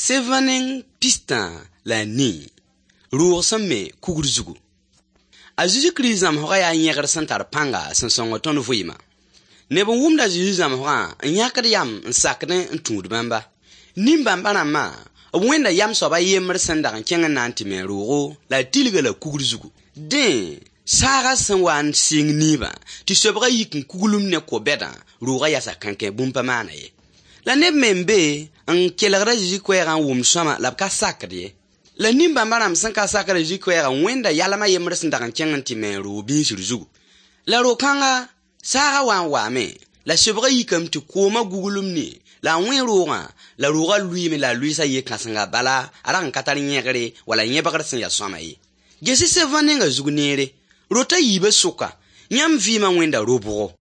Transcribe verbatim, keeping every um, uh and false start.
Sevã neng pistã la a nii. Roog sẽn me kugr zugu. A Zezi Kirist zãmsgã yaa yẽgr sẽn tar pãnga sẽn sõng tõnd vɩɩmã. Neb n wʋmd a Zezi zãmsgã n yãkd yam n sakdẽ n tũud bãmba. Nin-bãmba rãmbã b wẽnda yam soab a yembr sẽn dag n kẽng n na n tɩ me roogo la a tilga la kugr zugu. Dẽ, saaga sẽn wa n sɩng niibã tɩ sobgã yik n kuglum ne ko-bɛdã, roogã yasa kãnkẽ bũmb pa maana ye. La neb me n be n kelgd a Zezi koɛɛgã n wʋmd sõama la b ka sakd ye. La nin-bãmba rãmb sẽn ka sakd a Zezi koɛɛgã wẽnda yalm a yembr sẽn dag n kẽng n tɩ me roog biisr zugu. La ro-kãnga saaga wa n waame la sobgã yikame tɩ koomã guglum ne la a wẽ roogã la roogã lʋɩɩme la a lʋɩɩsa yɩ kãsenga bala a rag n ka tar yẽgre wala yẽbgr sẽn yaa sõama ye. Ges-y sevã nenga zug neere. Rota yiibã sʋka, yãmb vɩɩmã wẽnda ro-bʋgo.